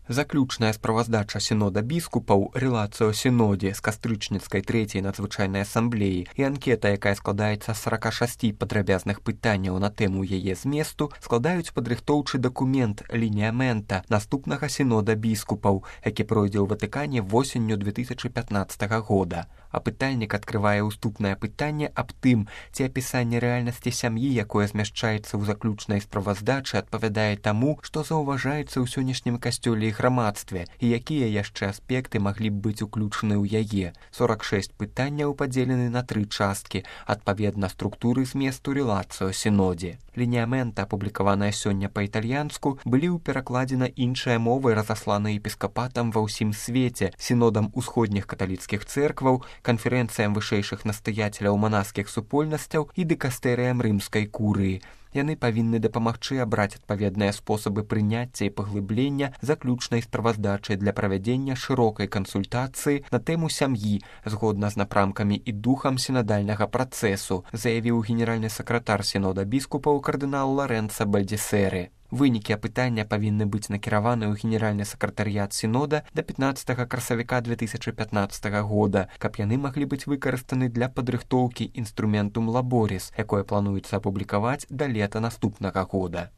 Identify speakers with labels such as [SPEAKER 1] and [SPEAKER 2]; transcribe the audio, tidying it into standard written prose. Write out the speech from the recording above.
[SPEAKER 1] Заключная справаздача сінода біскупаў «Релацыо сінодзе» з кастрычніцкай трэцяй надзвычайнай асамблеі і анкета, якая складаецца з 46 падрабязных пытанняў на тэму яе зместу, складаюць падрыхтоўчы дакумент лініамента наступнага сінода біскупаў, які пройдзе ў Ватыкане восенню 2015 года. Апытальнік адкрывае ўступнае пытанне аб тым, ці апісанне рэальнасці сям'і, якое змяшчаецца ў заключнай справаздачы, адпавядае таму, што заўважаецца ў сённяшнім касцёле і грамадстве, і якія яшчэ аспекты маглі б быць уключаны ў яе. 46 пытанняў падзелены на 3 часткі, адпаведна структуры зместу «Релацыо сінодзе». Лініамента, апублікаваная сёння па-італьянску, былі ў перакладзе на іншыя мовы разасланы епіскапатам ва ўсім свеце, сінодам усходніх каталіцкіх цэркваў, канферэнцыям вышэйшых настаяцеляў манаскіх супольнасцяў і дыкастэрыям рымскай курыі. Яны павінны дапамагчы абраць адпаведныя спосабы прыняцця і паглыблення заключнай справаздачы для правядзення шырокай кансультацыі на тэму сям'і згодна з напрамкамі і духам сінадальнага працэсу, заявіў генеральны сакратар сінода біскупаў кардынал Лорэнцо Бальдзесеры. Вынікі апытання павінны быць накіраваны ў генеральны сакратарыят сінода да 15 красавіка 2015 года, каб яны маглі быць выкарыстаны для падрыхтоўкі інструментум лаборіс, якое плануецца апублікаваць да лета наступнага года.